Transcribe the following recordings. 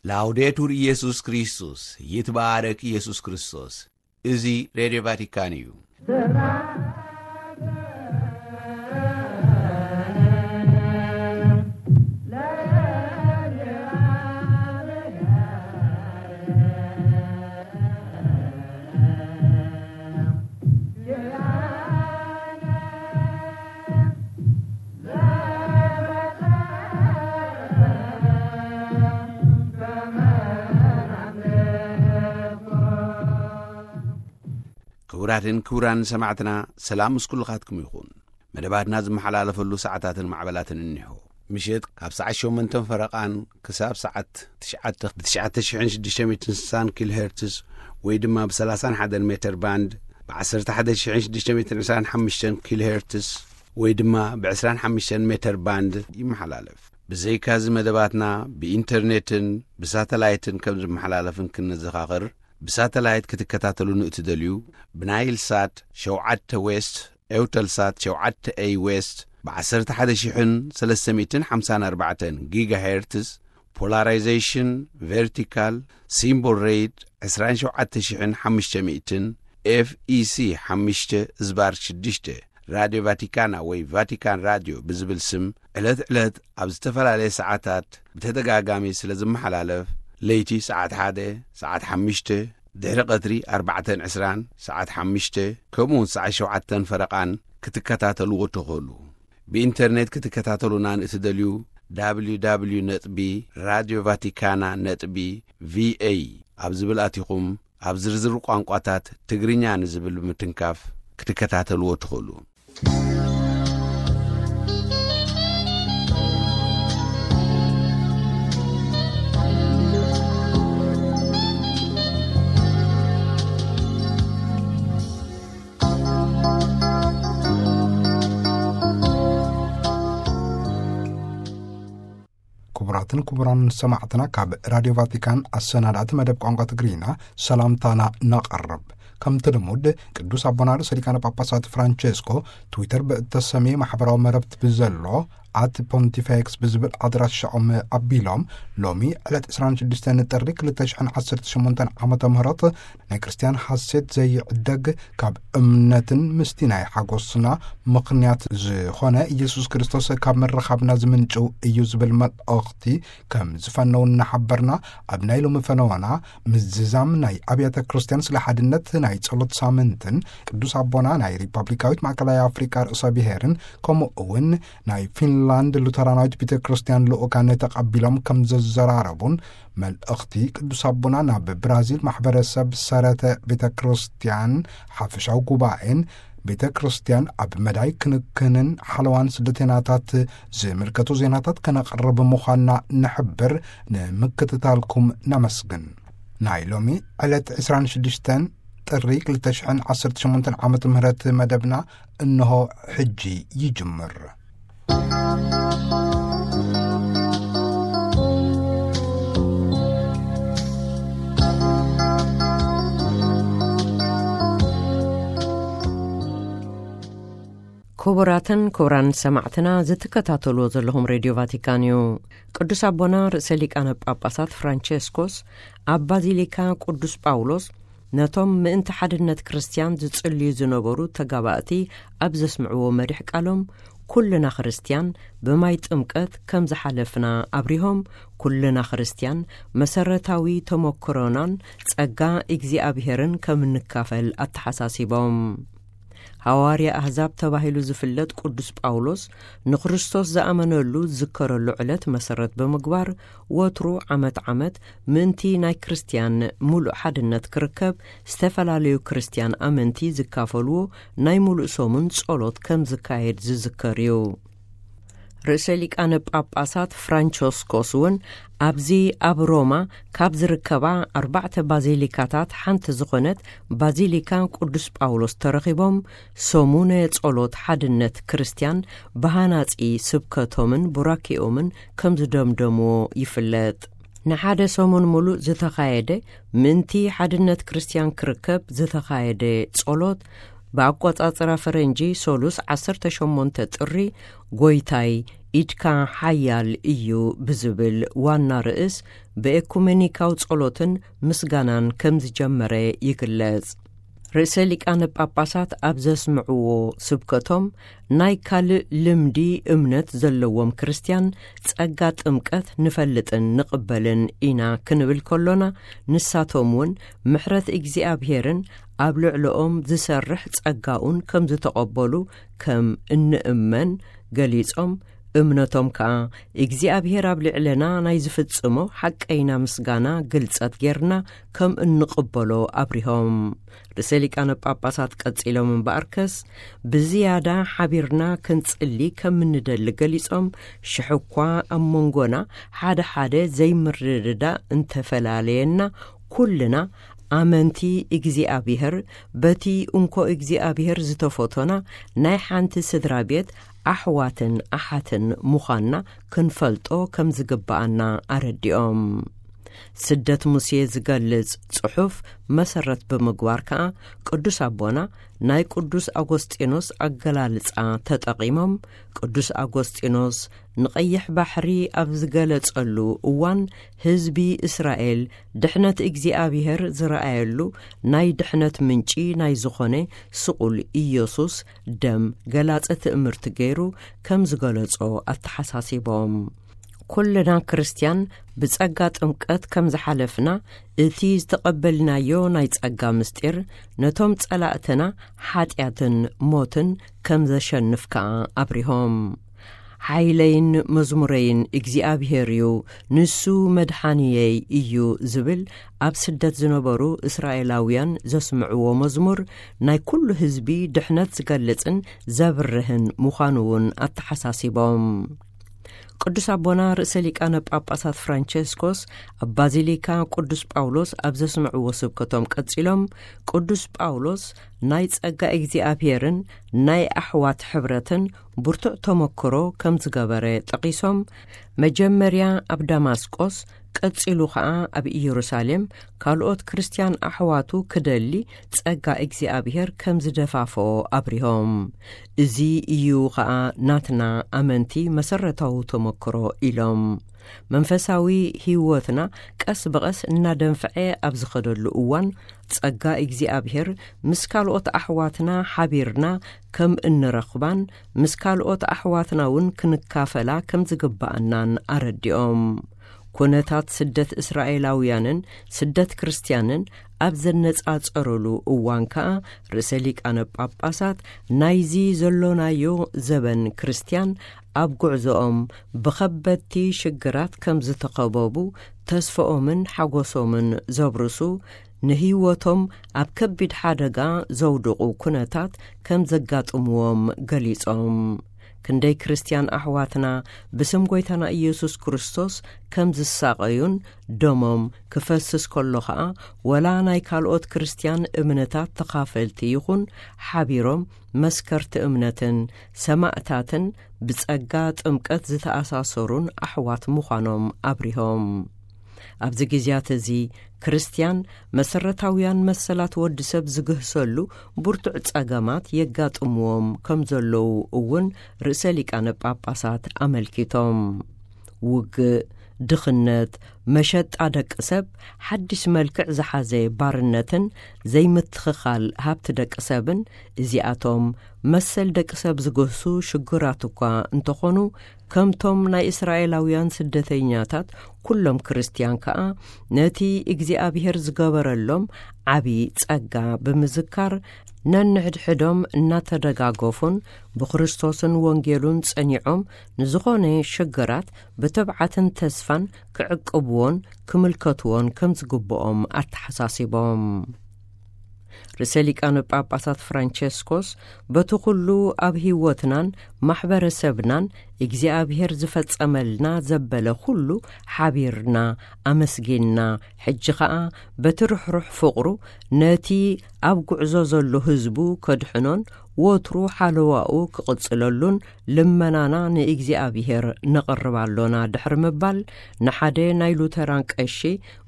ላውዴቱር ኢየሱስ ክርስቶስ፣ ይትባረክ ኢየሱስ ክርስቶስ። እዚ ሬድዮ ቫቲካን እዩ። ክቡራትን ክቡራን ሰማዕትና፣ ሰላም ምስ ኩልኻትኩም ይኹን። መደባትና ዝመሓላለፈሉ ሰዓታትን ማዕበላትን እኒሆ። ምሸት ካብ ሰዓት ሸሞንተን ፈረቓን ክሳብ ሰዓት ትሽዓተ ብ ትሽዓተ ሽሕን ሽዱሽተ ሚእትን ስሳን ኪሎ ሄርትዝ ወይ ድማ ብ ሰላሳን ሓደን ሜተር ባንድ፣ ብ ዓሰርተ ሓደ ሽሕን ሽዱሽተ ሚእትን ዕስራን ሓሙሽተን ኪሎ ሄርትዝ ወይ ድማ ብ ዕስራን ሓሙሽተን ሜተር ባንድ ይመሓላለፍ። ብዘይካዚ መደባትና ብኢንተርኔትን ብሳተላይትን ከም ዝመሓላለፍን ክንዘኻኽር፣ ብሳተላይት ክትከታተሉ ንእትደልዩ፣ ብናይል ሳት ሸውዓተ ዌስት፣ ኤውተልሳት ሸውዓተ ኤይ ዌስት፣ ብ ዓሰርተ ሓደ ሽሕን ሰለስተ ሚእትን ሓምሳን ኣርባዕተን ጊጋሄርትዝ፣ ፖላራይዜሽን ቨርቲካል፣ ሲምቦል ሬት ዕስራን ሸውዓተ ሽሕን ሓሙሽተ ሚእትን፣ ኤፍ ኢ ሲ ሓሙሽተ ዝባር ሽዱሽተ፣ ራድዮ ቫቲካና ወይ ቫቲካን ራድዮ ብዝብል ስም ዕለት ዕለት ኣብ ዝተፈላለየ ሰዓታት ብተደጋጋሚ ስለ ዝመሓላለፍ፣ ለይቲ ሰዓት ሓደ፣ ሰዓት ሓሙሽተ፣ ድሕሪ ቀትሪ ኣርባዕተን ዕስራን፣ ሰዓት ሓሙሽተ፣ ከምኡውን ሰዓት ሸውዓተን ፈረቓን ክትከታተልዎ ትኽእሉ። ብኢንተርኔት ክትከታተሉና ንእትደልዩ፣ ደብሊው ደብሊው ደብሊው ነጥቢ ራድዮ ቫቲካና ነጥቢ ቪ ኤ ኣብ ዝብል ኣቲኹም፣ ኣብ ዝርዝር ቋንቋታት ትግርኛ ንዝብል ብምትንካፍ ክትከታተልዎ ትኽእሉ። ክቡራትን ክቡራን ሰማዕትና፣ ካብ ራድዮ ቫቲካን ኣሰናዳእቲ መደብ ቋንቋ ትግርኛ ሰላምታና ነቐርብ። ከምቲ ልሙድ፣ ቅዱስ ኣቦና ርእሰ ሊቃነ ጳጳሳት ፍራንቸስኮ ትዊተር ብእተሰምየ ማሕበራዊ መረብቲ ብዘሎ ኣት ፖንቲፌክስ ብዝብል ኣድራሻኦም ኣቢሎም፣ ሎሚ ዕለት ዕስራን ሽዱሽተን ጥሪ ክልተ ሽሕን ዓሰርተ ሸሞንተን ዓመተ ምህረት ናይ ክርስትያን ሓሴት ዘይዕደግ፣ ካብ እምነትን ምስቲ ናይ ሓጎስና ምኽንያት ዝኾነ ኢየሱስ ክርስቶስ ካብ ምርኻብና ዝምንጭው እዩ ዝብል መልእኽቲ ከም ዝፈነው እናሓበርና፣ ኣብ ናይ ሎሚ ፈነወና ምዝዛም ናይ ኣብያተ ክርስትያን ስለ ሓድነት ናይ ጸሎት ሳምንትን ቅዱስ ኣቦና ናይ ሪፐብሊካዊት ማእከላይ ኣፍሪቃ ርእሰ ብሔርን ከምኡ እውን ናይ ፊንላንድ ሉተራናዊት ቤተ ክርስትያን ልኡካን ተቐቢሎም ከም ዘዘራረቡን መልእኽቲ ቅዱስ ኣቦና ናብ ብራዚል ማሕበረሰብ ሰረተ ቤተ ክርስትያን ሓፈሻዊ ጉባኤን ቤተ ክርስትያን ኣብ መዳይ ክንክንን ሓለዋን ስደተኛታት ዝምልከቱ ዜናታት ከነቕርብ ምዃንና ንሕብር። ንምክትታልኩም ነመስግን። ናይ ሎሚ ዕለት ዕስራን ሽዱሽተን ጥሪ ክልተ ሽሕን ዓሰርተ ሸሞንተን ዓመተ ምህረት መደብና እንሆ ሕጂ ይጅምር። ክቡራትን ክቡራን ሰማዕትና፣ ዝትከታተልዎ ዘለኹም ሬድዮ ቫቲካን እዩ። ቅዱስ ኣቦና ርእሰ ሊቃነ ጳጳሳት ፍራንቸስኮስ ኣብ ባዚሊካ ቅዱስ ጳውሎስ ነቶም ምእንቲ ሓድነት ክርስትያን ዝጽልዩ ዝነበሩ ተጋባእቲ ኣብ ዘስምዕዎ መሪሕ ቃሎም፣ ኩልና ክርስትያን ብማይ ጥምቀት ከም ዝሓለፍና ኣብሪሆም፣ ኩልና ክርስትያን መሰረታዊ ተመክሮናን ጸጋ እግዚኣብሄርን ከም እንካፈል ኣተሓሳሲቦም። ሃዋርያ ኣህዛብ ተባሂሉ ዝፍለጥ ቅዱስ ጳውሎስ ንክርስቶስ ዝኣመነሉ ዝዝከረሉ ዕለት መሰረት ብምግባር፣ ወትሩ ዓመት ዓመት ምእንቲ ናይ ክርስትያን ምሉእ ሓድነት ክርከብ፣ ዝተፈላለዩ ክርስትያን ኣመንቲ ዝካፈልዎ ናይ ምሉእ ሰሙን ጸሎት ከም ዝካየድ ዝዝከር እዩ። ርእሰ ሊቃነ ጳጳሳት ፍራንቸስኮስ እውን ኣብዚ ኣብ ሮማ ካብ ዝርከባ ኣርባዕተ ባዚሊካታት ሓንቲ ዝኾነት ባዚሊካ ቅዱስ ጳውሎስ ተረኺቦም፣ ሰሙነ ጸሎት ሓድነት ክርስትያን ብሃናጺ ስብከቶምን ቡራኬኦምን ከም ዝደምደምዎ ይፍለጥ። ንሓደ ሰሙን ሙሉእ ዝተኻየደ፣ ምእንቲ ሓድነት ክርስትያን ክርከብ ዝተኻየደ ጸሎት፣ ብኣቆጻጽራ ፈረንጂ ሰሉስ ዓሰርተ ሸሞንተ ጥሪ፣ ጎይታይ ኢድካ ሓያል እዩ ብዝብል ዋና ርእስ ብኤኩሜኒካዊ ጸሎትን ምስጋናን ከም ዝጀመረ ይግለጽ። ርእሰ ሊቃነ ጳጳሳት ኣብ ዘስምዕዎ ስብከቶም፣ ናይ ካልእ ልምዲ እምነት ዘለዎም ክርስትያን ጸጋ ጥምቀት ንፈልጥን ንቕበልን ኢና ክንብል ከሎና፣ ንሳቶም እውን ምሕረት እግዚኣብሄርን ኣብ ልዕለኦም ዝሰርሕ ጸጋኡን ከም ዝተቐበሉ ከም እንእመን ገሊጾም፣ እምነቶም ከኣ እግዚኣብሄር ኣብ ልዕለና ናይ ዝፍጽሞ ሓቀይና ምስጋና ግልጸት ጌርና ከም እንቕበሎ ኣብሪሆም። ርእሰ ሊቃነ ጳጳሳት ቀጺሎም እምበኣርከስ፣ ብዝያዳ ሓቢርና ክንጽሊ ከም እንደሊ ገሊጾም፣ ሽሕ እኳ ኣብ መንጎና ሓደ ሓደ ዘይምርድዳእ እንተፈላለየና፣ ኩልና ኣመንቲ እግዚኣብሄር፣ በቲ እንኮ እግዚኣብሄር ዝተፈቶና ናይ ሓንቲ ስድራ ቤት ኣሕዋትን ኣሓትን ምዃንና ክንፈልጦ ከም ዝግብኣና ኣረዲኦም። ስደት ሙሴ ዝገልጽ ጽሑፍ መሰረት ብምግባር ከኣ፣ ቅዱስ ኣቦና ናይ ቅዱስ ኣጎስጢኖስ ኣገላልጻ ተጠቒሞም፣ ቅዱስ ኣጎስጢኖስ ንቐይሕ ባሕሪ ኣብ ዝገለጸሉ እዋን፣ ህዝቢ እስራኤል ድሕነት እግዚኣብሄር ዝረኣየሉ ናይ ድሕነት ምንጪ ናይ ዝኾነ ስቑል ኢየሱስ ደም ገላጸ ትእምርቲ ገይሩ ከም ዝገለጾ ኣተሓሳሲቦም። ኩልና ክርስትያን ብጸጋ ጥምቀት ከም ዝሓለፍና፣ እቲ ዝተቐበልናዮ ናይ ጸጋ ምስጢር ነቶም ጸላእትና ሓጢኣትን ሞትን ከም ዘሸንፍ ከኣ ኣብሪሆም። ሓይለይን መዝሙረይን እግዚኣብሄር እዩ፣ ንሱ መድሓንየይ እዩ ዝብል ኣብ ስደት ዝነበሩ እስራኤላውያን ዘስምዕዎ መዝሙር፣ ናይ ኩሉ ህዝቢ ድሕነት ዝገልጽን ዘብርህን ምዃኑ እውን ኣተሓሳሲቦም። ቅዱስ ኣቦና ርእሰ ሊቃነ ጳጳሳት ፍራንቸስኮስ ኣብ ባዚሊካ ቅዱስ ጳውሎስ ኣብ ዘስምዕዎ ስብከቶም ቀጺሎም፣ ቅዱስ ጳውሎስ ናይ ጸጋ እግዚኣብሄርን ናይ ኣሕዋት ሕብረትን ብርቱዕ ተመክሮ ከም ዝገበረ ጠቒሶም፣ መጀመርያ ኣብ ዳማስቆስ፣ ቀጺሉ ኸኣ ኣብ ኢየሩሳሌም ካልኦት ክርስትያን ኣሕዋቱ ክደሊ ጸጋ እግዚኣብሄር ከም ዝደፋፍኦ ኣብሪሆም። እዚ እዩ ኸኣ ናትና ኣመንቲ መሰረታዊ ተመክሮ ኢሎም። መንፈሳዊ ህይወትና ቀስ ብቐስ እናደንፍዐ ኣብ ዝኸደሉ እዋን፣ ጸጋ እግዚኣብሄር ምስ ካልኦት ኣሕዋትና ሓቢርና ከም እንረኽባን ምስ ካልኦት ኣሕዋትና እውን ክንካፈላ ከም ዝግብኣናን ኣረዲኦም። ኩነታት ስደት እስራኤላውያንን ስደት ክርስትያንን ኣብ ዘነጻጸሩሉ እዋን ከኣ፣ ርእሰ ሊቃነ ጳጳሳት ናይዚ ዘሎናዮ ዘበን ክርስትያን ኣብ ጉዕዞኦም ብኸበድቲ ሽግራት ከም ዝተኸበቡ፣ ተስፋኦምን ሓጎሶምን ዘብርሱ፣ ንህይወቶም ኣብ ከቢድ ሓደጋ ዘውድቑ ኩነታት ከም ዘጋጥምዎም ገሊጾም፣ ክንደይ ክርስትያን ኣሕዋትና ብስም ጐይታና ኢየሱስ ክርስቶስ ከም ዝሳቐዩን ደሞም ክፈስስ ከሎ ኸኣ፣ ወላ ናይ ካልኦት ክርስትያን እምነታት ተኻፈልቲ ይኹን፣ ሓቢሮም መስከርቲ እምነትን ሰማእታትን ብጸጋ ጥምቀት ዝተኣሳሰሩን ኣሕዋት ምዃኖም ኣብሪሆም። ኣብዚ ግዜያት እዚ፣ ክርስትያን መሰረታውያን መሰላት ወዲ ሰብ ዝግህሰሉ ብርቱዕ ጸገማት የጋጥምዎም ከም ዘለዉ እውን ርእሰ ሊቃነ ጳጳሳት ኣመልኪቶም። ውግእ፣ ድኽነት፣ መሸጣ ደቂ ሰብ፣ ሓድሽ መልክዕ ዝሓዘ ባርነትን ዘይምትኽኻል ሃብቲ ደቂ ሰብን፣ እዚኣቶም መሰል ደቂ ሰብ ዝግህሱ ሽግራት እኳ እንተኾኑ፣ ከምቶም ናይ እስራኤላውያን ስደተኛታት፣ ኩሎም ክርስትያን ከኣ ነቲ እግዚኣብሔር ዝገበረሎም ዓቢ ጸጋ ብምዝካር፣ ነንሕድሕዶም እናተደጋገፉን ብክርስቶስን ወንጌሉን ጸኒዖም፣ ንዝኾነ ሽግራት ብትብዓትን ተስፋን ክዕቅብዎን ክምልከትዎን ከም ዝግብኦም ኣተሓሳሲቦም። ርእሰ ሊቃነ ጳጳሳት ፍራንቸስኮስ፣ በቲ ኩሉ ኣብ ህይወትናን ማሕበረሰብናን እግዚኣብሔር ዝፈጸመልና ዘበለ ኩሉ ሓቢርና ኣመስጊንና፣ ሕጂ ኸኣ በቲ ርሕሩሕ ፍቕሩ ነቲ ኣብ ጉዕዞ ዘሎ ህዝቡ ከድሕኖን ወትሩ ሓለዋኡ ክቕጽለሉን ልመናና ንእግዚኣብሔር ነቕርብ ኣሎና ድሕሪ ምባል፣ ንሓደ ናይ ሉተራን ቀሺ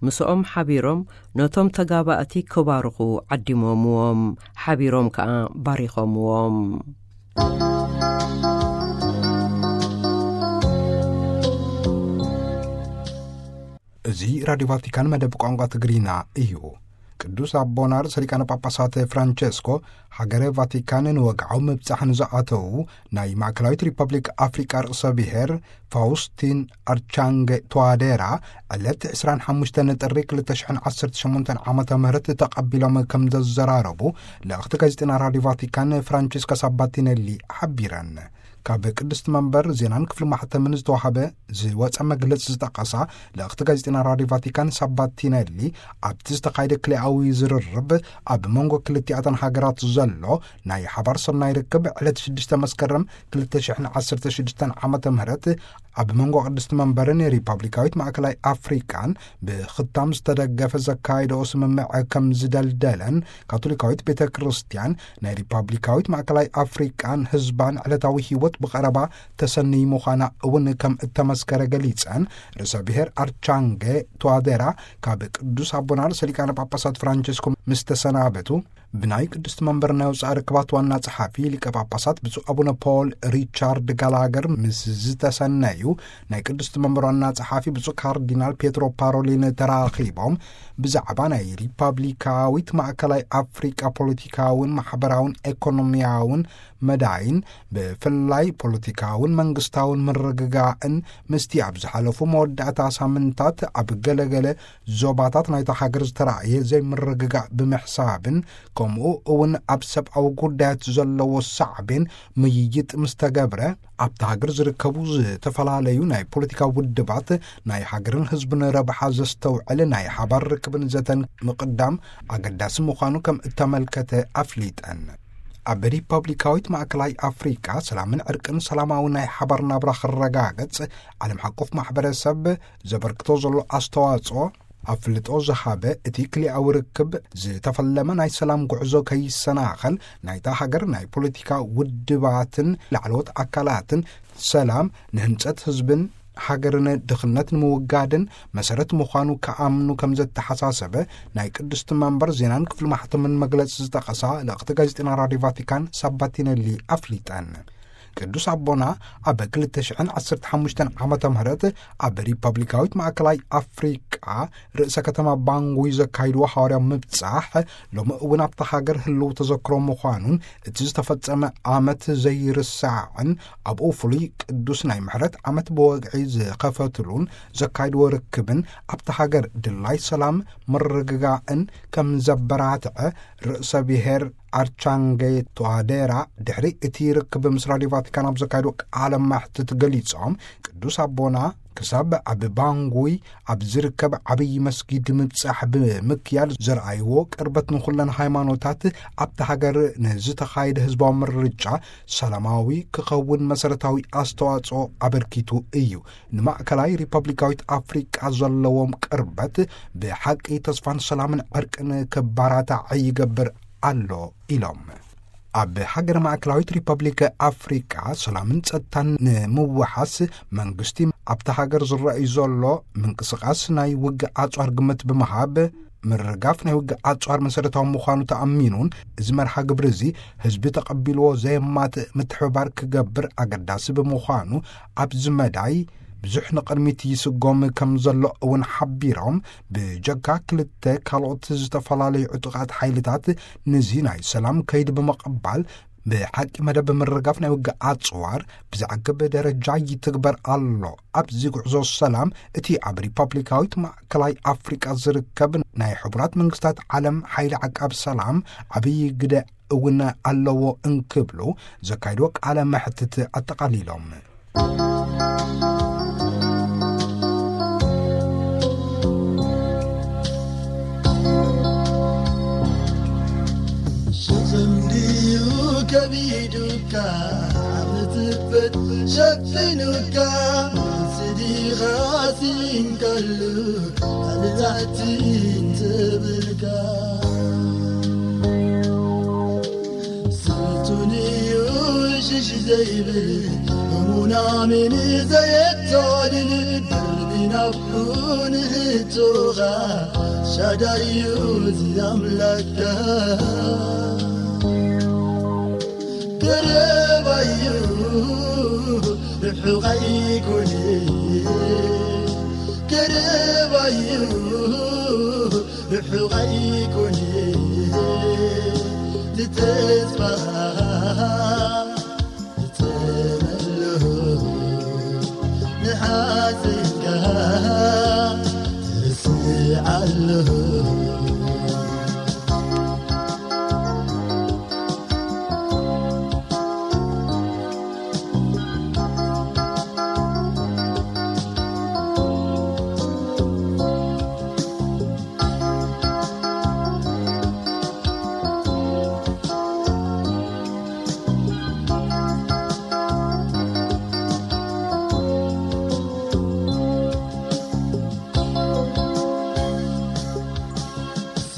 ምስኦም ሓቢሮም ነቶም ተጋባእቲ ክባርኹ ዓዲሞምዎም፣ ሓቢሮም ከኣ ባሪኾምዎም። እዚ ራዲዮ ቫቲካን መደብ ቋንቋ ትግርኛ እዩ። ቅዱስ ኣቦና ርእሰ ሊቃነ ጳጳሳት ፍራንቸስኮ ሃገረ ቫቲካን ንወግዓዊ ምብጻሕ ንዝኣተዉ ናይ ማእከላዊት ሪፐብሊክ ኣፍሪቃ ርእሰ ብሔር ፋውስቲን ኣርቻንገ ቱዋዴራ ዕለት ዕስራን ሓሙሽተን ጥሪ ክልተ ሽሕን ዓሰርተ ሸሞንተን ዓመተ ምህረት ተቐቢሎም ከም ዘዘራረቡ ልእኽቲ ጋዜጠና ራዲዮ ቫቲካን ፍራንቸስካ ሳባቲነሊ ሓቢረን። ካብ ቅድስቲ መንበር ዜናን ክፍሊ ማሕተምን ዝተዋሃበ ዝወፀ መግለፂ ዝጠቀሳ ልእኽቲ ጋዜጠና ራዲዮ ቫቲካን ሳባቲነሊ፣ ኣብቲ ዝተኻየደ ክልኣዊ ዝርርብ ኣብ መንጎ ክልቲኣተን ሃገራት ዘሎ ናይ ሓባር ሰናይ ርክብ ዕለት ሽዱሽተ መስከረም ክልተ ሽሕን ዓሰርተ ሽዱሽተን ዓመተ ምህረት ኣብ መንጎ ቅድስቲ መንበርን ሪፐብሊካዊት ማእከላይ ኣፍሪቃን ብኽታም ዝተደገፈ ዘካየደኦ ስምምዕ ከም ዝደልደለን፣ ካቶሊካዊት ቤተ ክርስቲያን ናይ ሪፐብሊካዊት ማእከላይ ኣፍሪቃን ህዝባን ዕለታዊ ህይወት ብቐረባ ተሰንይ ምዃና እውን ከም እተመስከረ ገሊጸን፣ ርእሰ ብሔር ኣርቻንጌ ቱዋዴራ ካብ ቅዱስ ኣቦና ርእሰ ሊቃነ ጳጳሳት ፍራንቸስኮ ምስ ተሰናበቱ፣ ብናይ ቅድስቲ መንበር ናይ ወጻኢ ርክባት ዋና ጸሓፊ ሊቀ ጳጳሳት ብፁዕ ኣቡነ ፖል ሪቻርድ ጋላገር ምስ ዝተሰነዩ፣ ናይ ቅድስቲ መንበር ዋና ጸሓፊ ብፁዕ ካርዲናል ፔትሮ ፓሮሊን ተራኺቦም፣ ብዛዕባ ናይ ሪፐብሊካዊት ማእከላይ ኣፍሪቃ ፖለቲካውን ማሕበራውን ኤኮኖሚያውን መዳይን፣ ብፍላይ ፖለቲካውን መንግስታውን ምርግጋእን፣ ምስቲ ኣብ ዝሓለፉ መወዳእታ ሳምንታት ኣብ ገለገለ ዞባታት ናይታ ሃገር ዝተራእየ ዘይምርግጋእ ብምሕሳብን፣ ከምኡ እውን ኣብ ሰብኣዊ ጉዳያት ዘለዎ ሳዕቤን ምይይጥ ምስ ተገብረ፣ ኣብታ ሃገር ዝርከቡ ዝተፈላለዩ ናይ ፖለቲካ ውድባት ናይ ሃገርን ህዝብን ረብሓ ዘስተውዕል ናይ ሓባር ርክብን ዘተን ምቕዳም ኣገዳሲ ምዃኑ ከም እተመልከተ ኣፍሊጠን። ኣብ ሪፐብሊካዊት ማእከላይ ኣፍሪቃ ሰላምን ዕርቅን ሰላማዊ ናይ ሓባር ናብራ ክረጋገጽ ዓለም ሓቆፍ ማሕበረሰብ ዘበርክቶ ዘሎ ኣስተዋጽኦ ኣፍልጦ ዝሃበ፣ እቲ ክልኣዊ ርክብ ዝተፈለመ ናይ ሰላም ጉዕዞ ከይሰናኸል ናይታ ሃገር ናይ ፖለቲካ ውድባትን ላዕለዎት ኣካላትን ሰላም ንህንጸት ህዝብን ሃገርን ድኽነት ንምውጋድን መሰረት ምዃኑ ክኣምኑ ከም ዘተሓሳሰበ ናይ ቅድስቲ መንበር ዜናን ክፍሊ ማሕተምን መግለጺ ዝጠቐሳ ልእኽቲ ጋዜጠና ራዲዮ ቫቲካን ሳባቲነሊ ኣፍሊጠን። ቅዱስ ኣቦና ኣብ ክልተ ሽሕን ዓሰርተ ሓሙሽተን ዓመተ ምህረት ኣብ ሪፐብሊካዊት ማእከላይ ኣፍሪቃ ርእሰ ከተማ ባንጉይ ዘካይድዎ ሃዋርያዊ ምብጻሕ፣ ሎሚ እውን ኣብታ ሃገር ህልው ተዘክሮ ምዃኑን፣ እቲ ዝተፈጸመ ኣመት ዘይርሳዕን፣ ኣብኡ ፍሉይ ቅዱስ ናይ ምሕረት ኣመት ብወግዒ ዝኸፈትሉን ዘካይድዎ ርክብን፣ ኣብታ ሃገር ድላይ ሰላም ምርግጋእን ከም ዘበራትዐ ርእሰ ብሔር ኣርቻንጌ ቱዋዴራ ድሕሪ እቲ ርክብ ምስ ራዲዮ ቫቲካን ኣብ ዘካየዶ ቃለ መሕትት ገሊጾም፣ ቅዱስ ኣቦና ክሳብ ኣብ ባንጉይ ኣብ ዝርከብ ዓብዪ መስጊድ ምብጻሕ ብምክያድ ዘርኣይዎ ቅርበት ንኹለን ሃይማኖታት ኣብቲ ሃገር ንዝተኻየደ ህዝባዊ ምርጫ ሰላማዊ ክኸውን መሰረታዊ ኣስተዋጽኦ ኣበርኪቱ እዩ። ንማእከላይ ሪፐብሊካዊት ኣፍሪቃ ዘለዎም ቅርበት ብሓቂ ተስፋን ሰላምን ዕርቅን ክባራታዕ ይገብር ኣሎ ኢሎም። ኣብ ሃገር ማእከላዊት ሪፐብሊክ ኣፍሪቃ ሰላምን ጸጥታን ንምውሓስ መንግስቲ ኣብቲ ሃገር ዝረኣዩ ዘሎ ምንቅስቓስ ናይ ውግእ ኣጽዋር ግምት ብምሃብ፣ ምርጋፍ ናይ ውግእ ኣጽዋር መሰረታዊ ምዃኑ ተኣሚኑን፣ እዚ መርሃ ግብሪ እዚ ህዝቢ ተቐቢልዎ ዘየማትእ ምትሕብባር ክገብር ኣገዳሲ ብምዃኑ፣ ኣብዚ መዳይ ብዙሕ ንቕድሚት ይስጎም ከም ዘሎ እውን ሓቢሮም፣ ብጀካ ክልተ ካልኦት ዝተፈላለዩ ዕጡቓት ሓይልታት ነዚ ናይ ሰላም ከይዲ ብምቕባል፣ ብሓቂ መደብ ምርጋፍ ናይ ውግእ ኣጽዋር ብዘዕግብ ደረጃ ይትግበር ኣሎ። ኣብዚ ጉዕዞ ሰላም እቲ ኣብ ሪፐብሊካዊት ማእከላይ ኣፍሪቃ ዝርከብ ናይ ሕቡራት መንግስታት ዓለም ሓይሊ ዓቃብ ሰላም ዓብዪ ግደ እውን ኣለዎ እንክብሉ ዘካይድዎ ቃለ መሕትት ኣጠቓሊሎም። ሸኽም ድዩ ከቢዱካ፣ ምትበት ሸፊኑካ፣ ስዲኻ ሲንከሉ ኣልዛዕቲን ትብልካ። ስልጡን እዩ ሽሽ ዘይብል፣ እሙን ኣሜን ዘየታልል፣ ብናፍቁ ንህቶኻ ሻዳዩ እዚ ኣምላክካ። ቀረባዩ ርሑቕ ኣይኮነ። ቀረባዩ ርሑቕ ኣይኮነ፣ ንተስፋ ትጸመሉ፣ ንሓዘንካ ትርስዓሉ።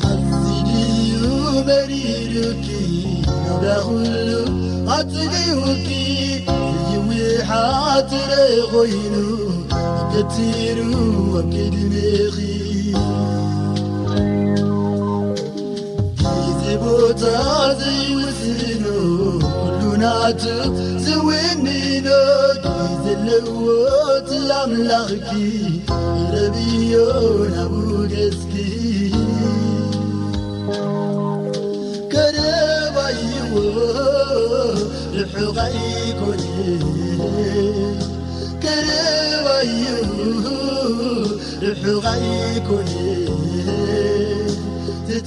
ኣዚዩ መሪሩኪ፣ ናብራ ኩሉ ኣጽጊቡኪ፣ ዘይውሓጥ ርእ ኮይኑ፣ ገቲሩ ኣብ ቅድሜኺ። ግዜ ቦታ ዘይውስኖ፣ ኩሉ ናቱ ዝውንኖ፣ ግዜ ኣለዎ እቲ ኣምላኽኪ፣ ረብዮ ናብኡ ገጽኪ። ቀረባዩ ርሑቕ ኣይኮነ፣ ቀረባዩ ርሑቕ ኣይኮነ፣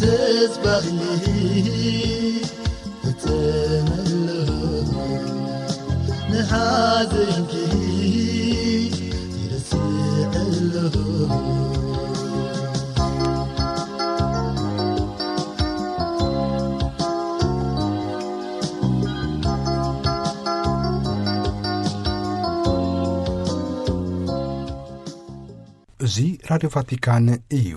ተስፋኺ ተጸመሎ፣ ንሓዘንኪ ትርስዐሎ። እዚ ራድዮ ቫቲካን እዩ።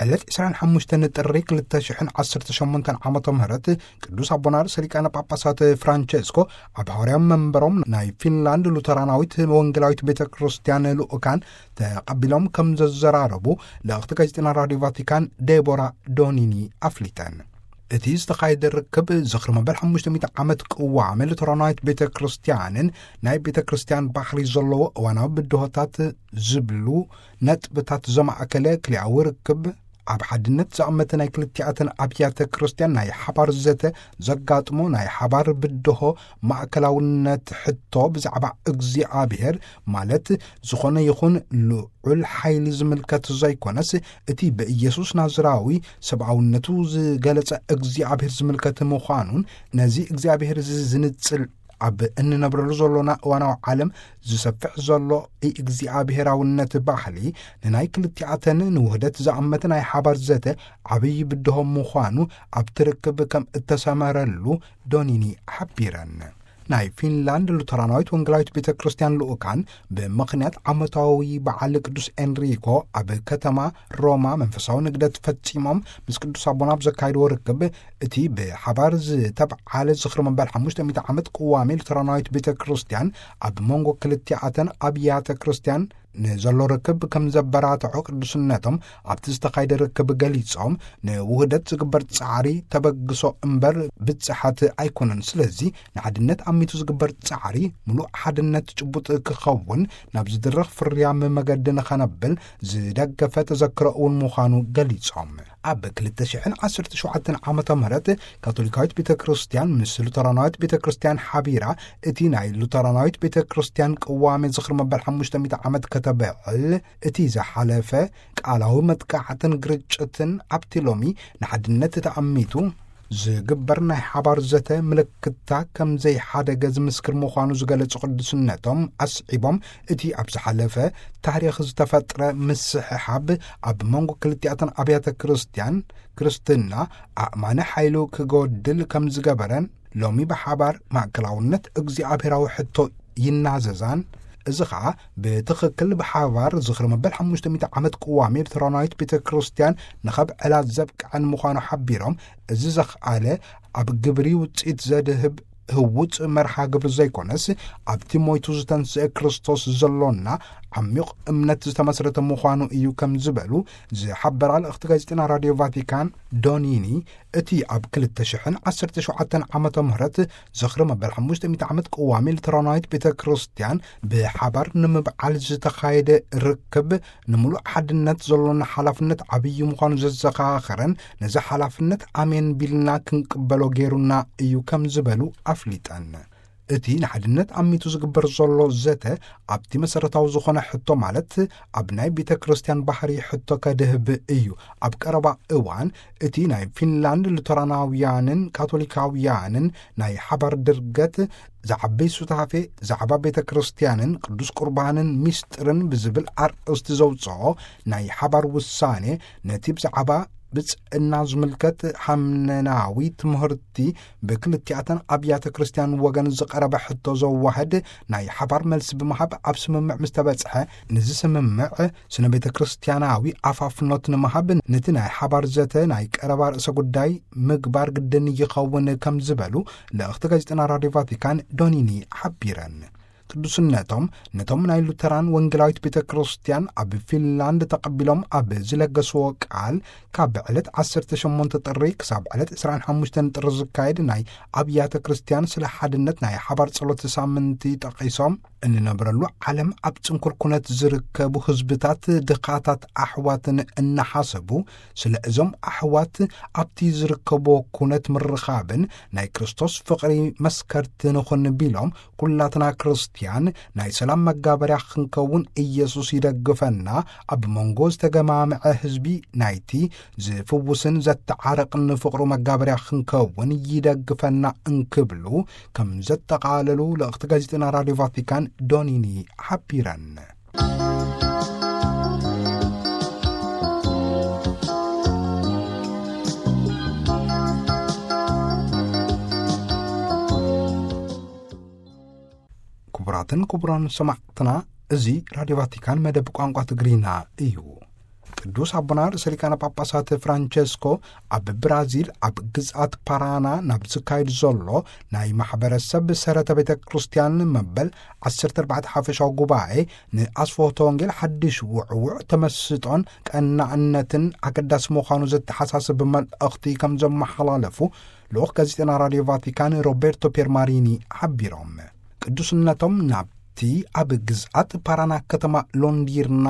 ዕለት ዕስራን ሓሙሽተን ጥሪ ክልተ ሽሕን ዓሰርተ ሸሞንተን ዓመተ ምህረት ቅዱስ ኣቦና ርእሰ ሊቃነ ጳጳሳት ፍራንቸስኮ ኣብ ሃዋርያዊ መንበሮም ናይ ፊንላንድ ሉተራናዊት ወንጌላዊት ቤተ ክርስቲያን ልኡካን ተቐቢሎም ከም ዘዘራረቡ ልእኽቲ ጋዜጠና ራድዮ ቫቲካን ዴቦራ ዶኒኒ ኣፍሊጠን። እቲ ዝተኻየደ ርክብ ዝኽሪ መበል ሓሙሽተ ሚእቲ ዓመት ቅዋም ሉተራናዊት ቤተ ክርስቲያንን ናይ ቤተ ክርስቲያን ባህሪ ዘለዎ እዋናዊ ብድሆታት ዝብሉ ነጥብታት ዘማእከለ ክልያዊ ርክብ፣ ኣብ ሓድነት ዝኣመተ ናይ ክልቲኣተን ኣብያተ ክርስቲያን ናይ ሓባር ዘተ ዘጋጥሞ ናይ ሓባር ብድሆ፣ ማእከላውነት ሕቶ ብዛዕባ እግዚኣብሔር፣ ማለት ዝኾነ ይኹን ልዑል ሓይሊ ዝምልከት ዘይኮነስ፣ እቲ ብኢየሱስ ናዝራዊ ሰብኣውነቱ ዝገለጸ እግዚኣብሔር ዝምልከት ምዃኑን፣ ነዚ እግዚኣብሔር እዚ ዝንጽል ኣብ እንነብረሉ ዘሎና እዋናዊ ዓለም ዝሰፍሕ ዘሎ እግዚኣብሔራውነት ባህሊ ንናይ ክልቲኣተን ንውህደት ዝኣመተ ናይ ሓባር ዘተ ዓብዪ ብድሆ ምዃኑ ኣብቲ ርክብ ከም እተሰመረሉ ዶኒኒ ሓቢረን። ናይ ፊንላንድ ሉተራናዊት ወንጌላዊት ቤተ ክርስቲያን ልኡካን ብምኽንያት ዓመታዊ በዓል ቅዱስ ኤንሪኮ ኣብ ከተማ ሮማ መንፈሳዊ ንግደት ፈጺሞም ምስ ቅዱስ ኣቦና ኣብ ዘካየድዎ ርክብ፣ እቲ ብሓባር ዝተብዓለ ዝኽሪ መበል ሓሙሽተ ሚእቲ ዓመት ቅዋሜ ሉተራናዊት ቤተ ክርስቲያን ኣብ መንጎ ክልቲኣተን ኣብያተ ክርስቲያን ንዘሎ ርክብ ከም ዘበራትዖ ቅዱስነቶም ኣብቲ ዝተኻየደ ርክብ ገሊጾም፣ ንውህደት ዝግበር ጻዕሪ ተበግሶ እምበር ብጽሓት ኣይኮነን። ስለዚ ንሓድነት ኣሚቱ ዝግበር ጻዕሪ ምሉእ ሓድነት ጭቡጥ ክኸውን ናብ ዝድረኽ ፍርያም መገዲ ንኸነብል ዝደገፈ ተዘክሮ እውን ምዃኑ ገሊጾም። ኣብ ክልተ ሽሕን ዓሰርተ ሸውዓተን ዓመተ ምህረት ካቶሊካዊት ቤተ ክርስቲያን ምስ ሉተራናዊት ቤተ ክርስቲያን ሓቢራ እቲ ናይ ሉተራናዊት ቤተ ክርስቲያን ቅዋሜ ዝኽሪ መበል ሓሙሽተ ሚእቲ ዓመት ከተብዕል፣ እቲ ዝሓለፈ ቃላዊ መጥቃዕትን ግርጭትን ኣብቲ ሎሚ ንሓድነት ተኣሚቱ ዝግበር ናይ ሓባር ዘተ ምልክታ ከም ዘይሓደገ ዝምስክር ምዃኑ ዝገለጹ ቅዱስነቶም ኣስዒቦም፣ እቲ ኣብ ዝሓለፈ ታሪኽ ዝተፈጥረ ምስሕሓብ ኣብ መንጎ ክልቲኣተን ኣብያተ ክርስቲያን ክርስትና ኣእማኒ ሓይሉ ክጎድል ከም ዝገበረን፣ ሎሚ ብሓባር ማእከላውነት እግዚኣብሔራዊ ሕቶ ይናዘዛን፣ እዚ ኸኣ ብትኽክል ብሓባር ዝኽሪ መበል ሓሙሽተ ሚእቲ ዓመት ቅዋም ኤርትራናዊት ቤተ ክርስቲያን ንኸብዕላ ዘብቅዐን ምዃኑ ሓቢሮም፣ እዚ ዘኽኣለ ኣብ ግብሪ ውጽኢት ዘድህብ ህውጽ መርሃ ግብሪ ዘይኮነስ፣ ኣብቲ ሞይቱ ዝተንስአ ክርስቶስ ዘሎና ዓሚቕ እምነት ዝተመስረተ ምዃኑ እዩ ከም ዝበሉ ዝሓበራ ልእኽቲ ጋዜጠና ራድዮ ቫቲካን ዶኒኒ፣ እቲ ኣብ ክልተ ሽሕን ዓሰርተ ሸውዓተን ዓመተ ምህረት ዝኽሪ መበል ሓሙሽተ ሚእቲ ዓመት ቅዋሚ ሉተራናዊት ቤተ ክርስቲያን ብሓባር ንምብዓል ዝተኻየደ ርክብ፣ ንምሉእ ሓድነት ዘሎና ሓላፍነት ዓብዪ ምዃኑ ዘዘኻኸረን፣ ነዚ ሓላፍነት ኣሜን ቢልና ክንቅበሎ ገይሩና እዩ ከም ዝበሉ ኣፍሊጠን። እቲ ንሓድነት ኣሚቱ ዝግበር ዘሎ ዘተ ኣብቲ መሰረታዊ ዝኾነ ሕቶ፣ ማለት ኣብ ናይ ቤተ ክርስቲያን ባህሪ ሕቶ ከድህብ እዩ። ኣብ ቀረባ እዋን እቲ ናይ ፊንላንድ ሉተራናውያንን ካቶሊካውያንን ናይ ሓባር ድርገት፣ ዝዓቢ ሱታፌ፣ ዛዕባ ቤተ ክርስቲያንን ቅዱስ ቁርባንን ሚስጥርን ብዝብል ኣርእስቲ ዘውፅኦ ናይ ሓባር ውሳኔ፣ ነቲ ብዛዕባ ብፅዕና ዝምልከት ሃምነናዊ ትምህርቲ ብክልቲኣተን ኣብያተ ክርስቲያን ወገን ዝቐረበ ሕቶ ዘዋህድ ናይ ሓባር መልሲ ብምሃብ፣ ኣብ ስምምዕ ምስ ተበጽሐ፣ ንዚ ስምምዕ ስነ ቤተ ክርስቲያናዊ ኣፋፍኖት ንምሃብ፣ ነቲ ናይ ሓባር ዘተ ናይ ቀረባ ርእሰ ጉዳይ ምግባር ግድን ይኸውን ከም ዝበሉ ልእኽቲ ጋዜጠና ራድዮ ቫቲካን ዶኒኒ ሓቢረን። ቅዱስነቶም ነቶም ናይ ሉተራን ወንጌላዊት ቤተ ክርስቲያን ኣብ ፊንላንድ ተቐቢሎም ኣብ ዝለገስዎ ቃል፣ ካብ ዕለት ዓሰርተ ሸሞንተ ጥሪ ክሳብ ዕለት ዕስራን ሓሙሽተን ጥሪ ዝካየድ ናይ ኣብያተ ክርስቲያን ስለ ሓድነት ናይ ሓባር ጸሎት ሳምንቲ ጠቒሶም፣ እንነብረሉ ዓለም ኣብ ጽንኩር ኩነት ዝርከቡ ህዝብታት ድኻታት ኣሕዋትን እናሓሰቡ፣ ስለ እዞም ኣሕዋት ኣብቲ ዝርከብዎ ኩነት ምርኻብን ናይ ክርስቶስ ፍቕሪ መስከርቲ ንኹን ቢሎም፣ ኩላትና ክርስትያን ናይ ሰላም መጋበርያ ክንከውን ኢየሱስ ይደግፈና፣ ኣብ መንጎ ዝተገማምዐ ህዝቢ ናይቲ ዝፍውስን ዘተዓርቕን ፍቕሩ መጋበርያ ክንከውን ይደግፈና እንክብሉ ከም ዘጠቓለሉ ልእኽቲ ጋዜጠና ራድዮ ቫቲካን ዶኒኒ ሓቢረን። ክቡራትን ክቡራን ሰማዕትና፣ እዚ ራድዮ ቫቲካን መደብ ቋንቋ ትግርኛ እዩ። ቅዱስ ኣቦና ርእሰ ሊቃነ ጳጳሳት ፍራንቸስኮ ኣብ ብራዚል ኣብ ግዝኣት ፓራና ናብ ዝካየድ ዘሎ ናይ ማሕበረሰብ ሰረተ ቤተ ክርስቲያን መበል ዓሰርተ ኣርባዕተ ሓፈሻዊ ጉባኤ ንኣስፍሆተ ወንጌል ሓድሽ ውዕውዕ ተመስጦን ቀናእነትን ኣገዳሲ ምዃኑ ዘተሓሳስብ መልእኽቲ ከም ዘመሓላለፉ ልኡኽ ጋዜጠና ራድዮ ቫቲካን ሮቤርቶ ፔርማሪኒ ሓቢሮም። ቅዱስነቶም ናብቲ ኣብ ግዝኣት ፓራና ከተማ ሎንዲርና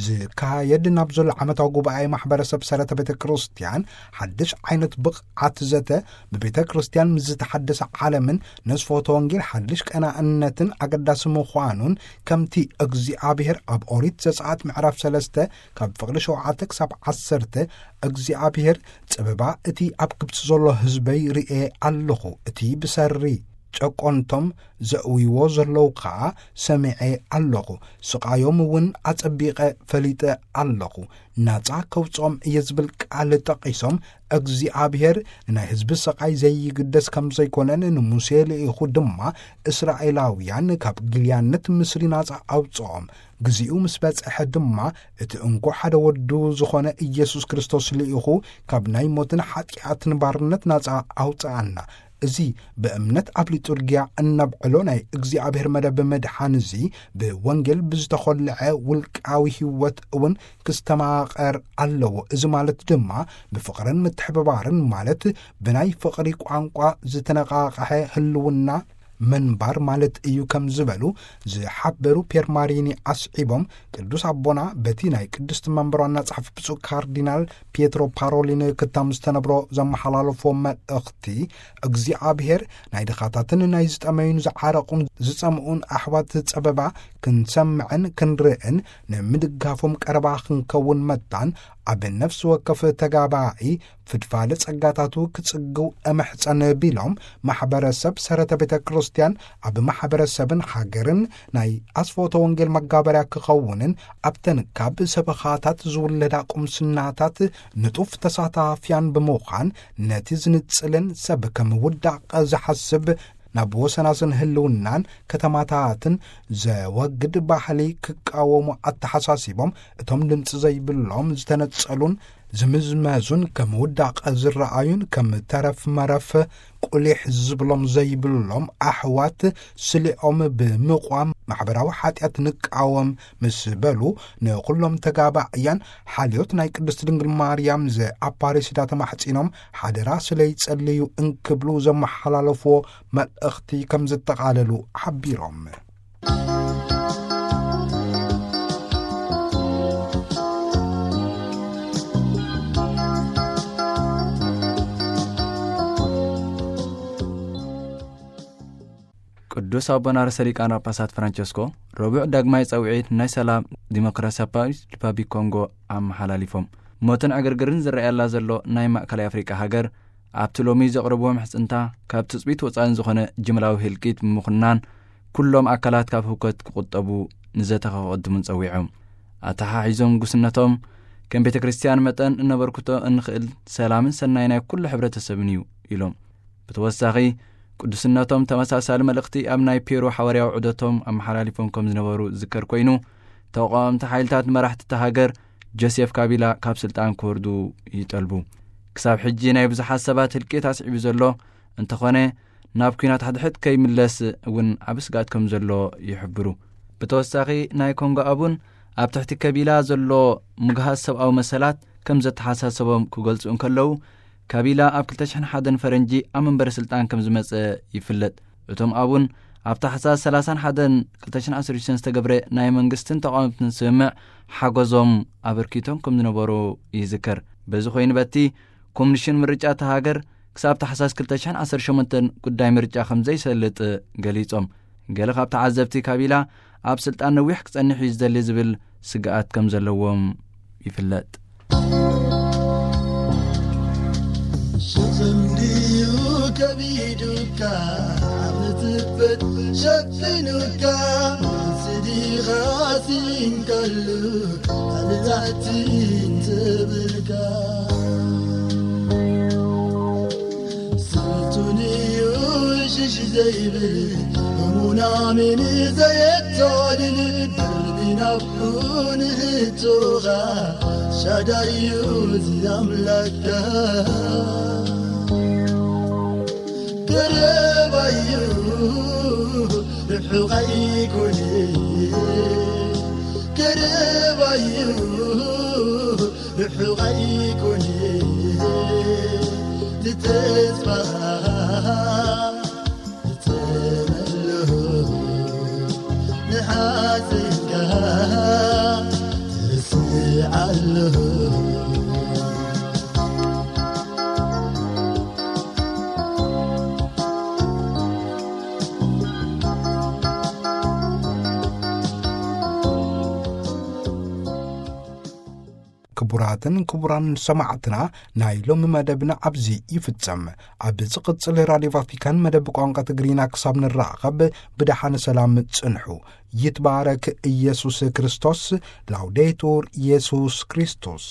ዝካየድ ናብ ዘሎ ዓመታዊ ጉባኤ ማሕበረሰብ ሰረተ ቤተ ክርስቲያን ሓድሽ ዓይነት ብቕዓት ዘተ፣ ብቤተ ክርስቲያን ምስ ዝተሓደሰ ዓለምን ነስፎተ ወንጌል ሓድሽ ቀናእነትን ኣገዳሲ ምዃኑን፣ ከምቲ እግዚኣብሔር ኣብ ኦሪት ዘጸኣት ምዕራፍ ሰለስተ ካብ ፍቕዲ ሸውዓተ ክሳብ ዓሰርተ፣ እግዚኣብሔር ጽበባ እቲ ኣብ ግብጺ ዘሎ ህዝበይ ርእየ ኣለኹ፣ እቲ ብሰሪ ጨቆንቶም ዘእውይዎ ዘለዉ ኸኣ ሰሚዐ ኣለኹ፣ ስቓዮም እውን ኣጸቢቐ ፈሊጠ ኣለኹ፣ ናጻ ከውጽኦም እየ ዝብል ቃል ጠቒሶም፣ እግዚኣብሔር ንናይ ህዝቢ ስቓይ ዘይግደስ ከም ዘይኮነን ንሙሴ ልኢኹ ድማ እስራኤላውያን ካብ ግልያነት ምስሪ ናጻ ኣውጽኦም፣ ግዚኡ ምስ በጽሐ ድማ እቲ እንኮ ሓደ ወዱ ዝኾነ ኢየሱስ ክርስቶስ ልኢኹ ካብ ናይ ሞትን ሓጢኣትን ባርነት ናጻ ኣውጽኣና። እዚ ብእምነት ኣብ ሊጡርጊያ እነብዕሎ ናይ እግዚኣብሔር መደብ ምድሓን እዚ ብወንጌል ብዝተኾልዐ ውልቃዊ ህይወት እውን ክስተማቐር ኣለዎ። እዚ ማለት ድማ ብፍቕርን ምትሕብባርን፣ ማለት ብናይ ፍቕሪ ቋንቋ ዝተነቓቕሐ ህልውና ምንባር ማለት እዩ ከም ዝበሉ ዝሓበሩ ፔርማሪኒ ኣስዒቦም፣ ቅዱስ ኣቦና በቲ ናይ ቅድስቲ መንበር ዋና ጸሓፊ ብፁዕ ካርዲናል ፒየትሮ ፓሮሊን ክታም ዝተነብሮ ዘመሓላለፎ መልእኽቲ፣ እግዚኣብሔር ናይ ድኻታትን ናይ ዝጠመዩን ዝዓረቑን ዝጸምኡን ኣሕዋት ጸበባ ክንሰምዕን ክንርእን፣ ንምድጋፎም ቀረባ ክንከውን መታን፣ ኣብ ነፍሲ ወከፍ ተጋባኢ ፍድፋደ ጸጋታቱ ክጽግው እምሕጸን ቢሎም፣ ማሕበረሰብ ሰረተ ቤተ ክርስቲያን ኣብ ማሕበረሰብን ሃገርን ናይ ኣስፎተ ወንጌል መጋበርያ ክኸውንን፣ ኣብተን ካብ ሰበኻታት ዝውለዳ ቁምስናታት ንጡፍ ተሳታፍያን ብምዃን፣ ነቲ ዝንጽልን ሰብ ከም ውዳቕ ዝሓስብ ናብ ወሰናስን ህልውናን ከተማታትን ዘወግድ ባህሊ ክቃወሙ ኣተሓሳሲቦም፣ እቶም ድምፂ ዘይብሎም ዝተነጸሉን ዝምዝመዙን ከም ውዳቐ ዝረኣዩን ከም ተረፍ መረፍ ቁሊሕ ዝብሎም ዘይብሎም ኣሕዋት ስሊኦም ብምቋም ማሕበራዊ ሓጢኣት ንቃወም ምስ በሉ፣ ንኹሎም ተጋባእያን ሓልዮት ናይ ቅድስት ድንግል ማርያም ዘኣፓሬሲዳ ተማሕጺኖም ሓደራ ስለ ይጸልዩ እንክብሉ ዘመሓላለፍዎ መልእኽቲ ከም ዘጠቓለሉ ሓቢሮም። ቅዱስ ኣቦና ርእሰ ሊቃነ ጳጳሳት ፍራንቸስኮ ረቡዕ ዳግማይ ጸውዒት ናይ ሰላም ዲሞክራሲያዊ ሪፓብሊክ ኮንጎ ኣመሓላሊፎም። ሞትን ዕግርግርን ዝረኣየላ ዘሎ ናይ ማእከላይ ኣፍሪቃ ሃገር፣ ኣብቲ ሎሚ ዘቕረብዎ ምሕጽንታ፣ ካብ ትጽቢት ወጻእን ዝኾነ ጅምላዊ ህልቂት ብምኹናን፣ ኩሎም ኣካላት ካብ ህውከት ክቑጠቡ ንዘተ ከቐድሙን ጸዊዖም። ኣተሓሒዞም፣ ጉስነቶም ከም ቤተ ክርስቲያን መጠን እነበርክቶ እንኽእል ሰላምን ሰናይ ናይ ኩሉ ሕብረተሰብን እዩ ኢሎም። ብተወሳኺ፣ ቅዱስነቶም ተመሳሳሊ መልእኽቲ ኣብ ናይ ፔሩ ሓዋርያዊ ዑደቶም ኣመሓላሊፎም ከም ዝነበሩ ዝዝከር ኮይኑ፣ ተቃወምቲ ሓይልታት መራሕቲ እታ ሃገር ጆሴፍ ካቢላ ካብ ስልጣን ክወርዱ ይጠልቡ። ክሳብ ሕጂ ናይ ብዙሓት ሰባት ህልቂት ኣስዒቡ ዘሎ እንተኾነ፣ ናብ ኲናት ሕድሕድ ከይምለስ እውን ዓቢ ስግኣት ከም ዘሎ ይሕብሩ። ብተወሳኺ፣ ናይ ኮንጎ ኣቡን ኣብ ትሕቲ ከቢላ ዘሎ ምግሃስ ሰብኣዊ መሰላት ከም ዘተሓሳሰቦም ክገልጹ እንከለዉ፣ ካቢላ ኣብ ክልተ ሽሕን ሓደን ፈረንጂ ኣብ መንበሪ ስልጣን ከም ዝመጸ ይፍለጥ። እቶም ኣቡን ኣብ ታሕሳስ ሰላሳን ሓደን ክልተ ሽሕን ዓሰርተ ሽዱሽተን ዝተገብረ ናይ መንግስትን ተቃወምትን ስምምዕ ሓገዞም ኣበርኪቶም ከም ዝነበሩ ይዝከር። በዚ ኮይኑ በቲ ኮሚሽን ምርጫ እታ ሃገር ክሳብ ታሕሳስ ክልተ ሽሕን ዓሰርተ ሸሞንተን ጉዳይ ምርጫ ከም ዘይሰልጥ ገሊጾም። ገለ ካብ ተዓዘብቲ ካቢላ ኣብ ስልጣን ነዊሕ ክጸንሕ እዩ ዝደሊ ዝብል ስግኣት ከም ዘለዎም ይፍለጥ። ሸኽም ድዩ ከቢዱካ፣ ኣብ ትፈት ሸፊኑካ፣ ስዲኻ ሲንከሉ፣ ኣብ ታሕቲ እንትብልካ። ስልጡን እዩ ሽሽ ዘይብል፣ እሙን ኣሜን ዘየታልል፣ ቅርቢ ናብ ንህቶኻ ሻዳዩ ዝኣምላካ። ቀረባዩ ርሑቕ ኣይኮነ፣ ቀረባዩ ርሑቕ ኣይኮነ፣ ንተስፋ እጸመለኹ፣ ንሓዘንካ እርስዓለኹ። ክቡራትን ክቡራን ሰማዕትና፣ ናይ ሎሚ መደብና ኣብዚ ይፍጸም። ኣብ ዝቕጽል ራድዮ ቫቲካን መደብ ቋንቋ ትግርኛ ክሳብ ንራኸብ፣ ብደሓን ሰላም ጽንሑ። ይትባረክ ኢየሱስ ክርስቶስ። ላውዴቱር ኢየሱስ ክርስቶስ።